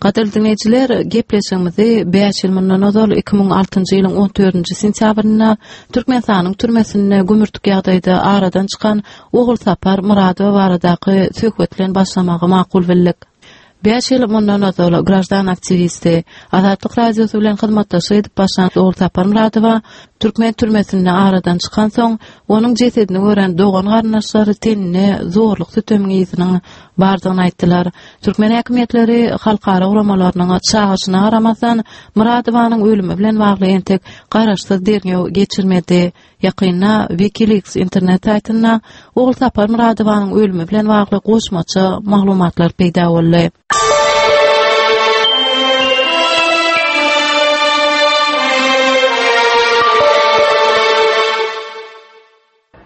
Gadyrly diňleýjiler, gepleşigimizi bäş ýyl mundan ozal 2006-njy ýylyň 14-nji sentýabrynda Türkmenistanyň türmesinde gümürtik ýagdaýda aradan çykan Ogulsapar Myradowa baradaky söhbet bilen başlamagy makul bildik. Bäş ýyl mundan ozal graždan aktiwisti, Azatlyk Radiosy bilen hyzmatdaşlyk edip başlan Ogulsapar Myradowa türkmen türmesinde aradan çykansoň, onuň jesedini gören dogan-garyndaşlary teninde zorluk-sütemiň yzynyň bardygyny aýtdylar. Türkmen häkimiýetleri halkara guramalarynyň çagyryşyna garamazdan, Myradowanyň ölümi bilen bagly entek garaşsyz derňew geçirmedi. Ýakynda WikiLeaks internet saýtynda Ogulsapar Myradowanyň ölümi bilen bagly goşmaça maglumatlar peýda boldy.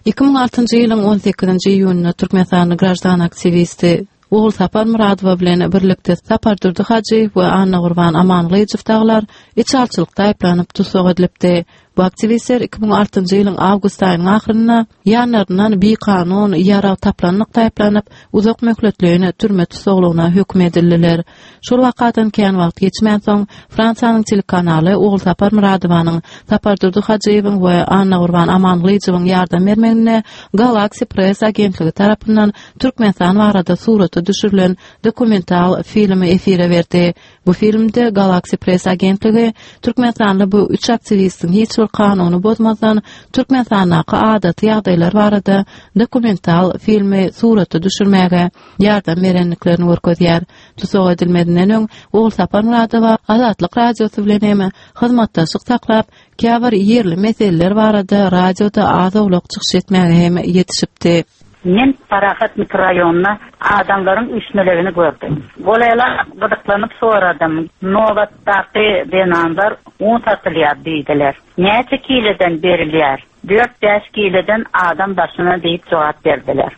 2006-njy ýylyň 18-nji iýunynda türkmenistanly graždan aktiwisti Ogulsapar Myradowa bilen birlikde Sapardurdy Hajyýew we Annagurban Amangylyjow dagylar içalyçylykda aýyplanyp tussag edilipdi. Bu aktiwistler 2006-njy ýylyň awgust aýynyň ahyrynda ýanlaryndan bikanun ýarag taplanlykda aýyplanyp, uzak möhletleýin türme tussaglygyna höküm edildiler. Şol wakadan kän wagt geçmänsoň, Fransiýanyň telekanaly Ogulsapar Myradowanyň, Sapardurdy Hajyýewiň we Annagurban Amangylyjowyň ýardam bermeginde Galaxy Press agentligi tarapyndan Türkmenistan barada surata düşürilen dokumental filmi efire berdi. Bu filmde Galaxy Press agentligi türkmenistanly bu üç aktiwistiň hiç bir kanuny bozmazdan Türkmenistandaky adaty ýagdaýlar barada dokumental filmi surata düşürmäge ýardam berendiklerini görkezýär. Tussag edilmezinden öň Ogulsapar Myradowa Azatlyk Radiosy bilen hem hyzmatdaşlyk saklap, käbir ýerli meseleler barada radioda az-owlak çykyş etmäge hem ýetişipdi. Men Parahat mikroraýonynda adamlaryň üýşmelegini gördüm. Golaýlap gyzyklanyp soradym. Nobatdaky zenanlar un satylýar diýdiler. Näçe kileden berilýär? Dört-bäş kileden adam başyna diýip jogap berdiler.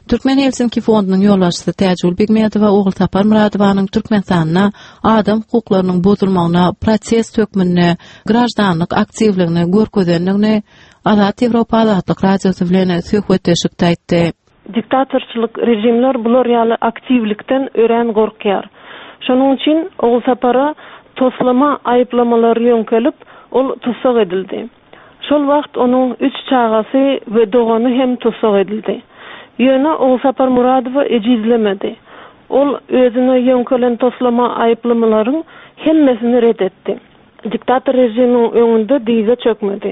Türkmen Helsinki fondunyň ýolbaşçysy Täjigül Begmedowa Ogulsapar Myradowanyň Türkmenistanda adam hukuklarynyň bozulmagyna protest hökmünde graždanlyk aktiwligini görkezendigini Azat Ýewropa Azatlyk Radiosy bilen söhbetdeşlikde aýtdy. Diktatorçylyk režimler bular ýaly aktiwlikden örän gorkýar. Şonuň üçin Ogulsapara toslama aýyplamalar ýöňkelip, ol tussag edildi. Şol wagt onuň üç çagasy we dogany hem tussag edildi. Ýöne Ogulsapar Muradowa ejizlemedi. Ol özüne ýöňkelen toslama aýyplamalaryň hemmesini ret etdi. Diktator režimiň öňünde dyza çökmedi.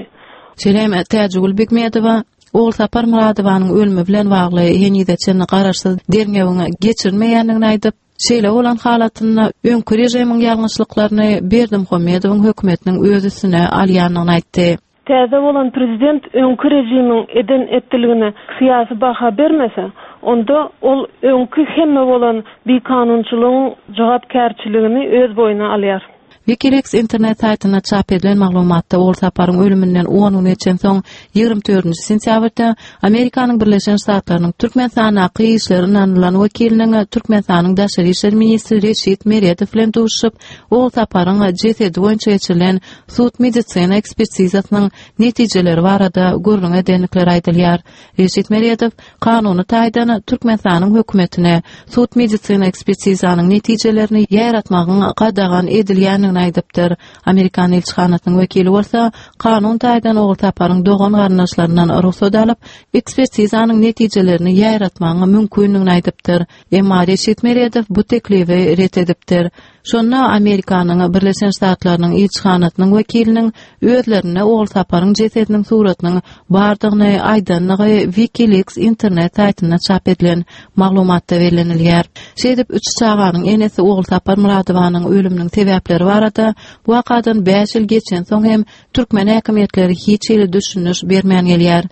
Şeýle hem Täjigül Begmedowa Ogulsapar Myradowanyň ölümi bilen bagly henize çenli garaşsyz derňewiň geçirilmeýändigini aýdyp, Şeýle bolan halatynda öňki režimiň ýalňyşlyklaryny Berdimuhamedowyň hökümetiniň öz üstüne alýandygyny aýtdy. Täze bolan prezident öňki režimiň eden-etdiligine syýasy baha bermese, onda ol öňki hemme bolan bikanunçylygyň jogapkärçiligini öz boýnuna alýar. Wikileaks internet saýtynda çap edilen maglumatda Ogulsaparyň ölüminden on gün geçensoň, 24-nji sentýabrda Amerikanyň Birleşen Ştatlarynyň Türkmenistandaky işleri ynanylan wekiliniň Türkmenistanyň daşary işler ministri Reşit Meredow bilen duşuşyp, Ogulsaparyň jesedi boýunça geçirilen sud-medisina ekspertizasynyň netijeleri barada gürrüň edendikleri aýdylýar. Reşit Meredow kanuny taýdan Türkmenistanyň hökümetine sud-medisina ekspertizanyň netijelerini ýaýratmagyň gadagan edilýändigini aýdypdyr. Amerikan ilçihanasynyň wekili bolsa kanun taýdan Ogulsaparyň dogan-garyndaşlaryndan rugsat alyp, ekspertizanyň netijelerini ýaýratmagyň mümkindigini aýdypdyr. Emma Reşit Meredow bu teklibi ret edipdir. Şonda Amerikanyň Birleşen Ştatlarynyň ilçihanasynyň wekiliniň özlerinde Ogulsaparyň jesediniň suratynyň bardygyny aýdandygy WikiLeaks internet saýtynda çap edilen maglumatda bellenilýär. Şeýdip, üç çaganyň enesi Ogulsapar Myradowanyň ölüminiň sebäpleri barada bu wakadan bäş ýyl geçensoň hem türkmen häkimiýetleri hiç hili düşündiriş bermän gelýär.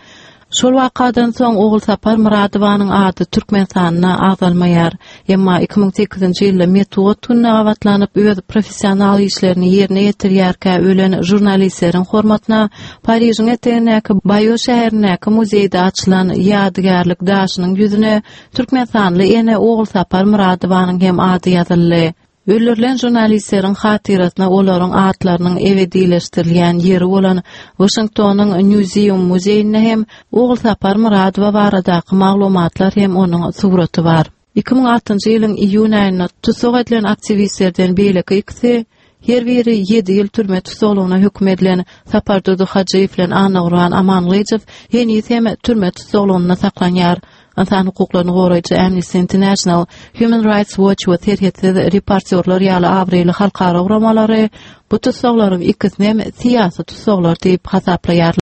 Şol wakadan soň Ogulsapar Myradowanyň ady Türkmenistanda agzalmaýar. Emma 2008-nji ýylda metbugat gününe gabatlanyp öz professional işlerini ýerine ýetirýärkä ölen žurnalistleriň hormatyna Parižiň etegindäki Baýo şäherindäki muzeýde açylan ýadygärlik daşynyň ýüzüne türkmenistanly ene Ogulsapar Myradowanyň hem ady ýazyldy. Öldürilen žurnalistleriň hatyrasyna olaryň atlarynyň ebedileşdirilýän ýeri bolan Waşingtonyň Newseum muzeýinde hem Ogulsapar Myradowa baradaky maglumatlar hem onuň suraty bar. 2006-njy ýylyň iýun aýynda tussag edilen aktiwistlerden beýleki ikisi, her biri ýedi ýyl türme tussaglygyna höküm edilen Sapardurdy Hajyýew bilen Annagurban Amangylyjow heniz hem türme tussaglygynda saklanýar. Ynsan hukuklaryny goraýjy Amnesty International, Human Rights Watch we Serhetsiz reportýorlar ýaly abraýly halkara guramalary bu tussaglaryň ikisini hem syýasy tussaglar diýip hasaplaýarlar.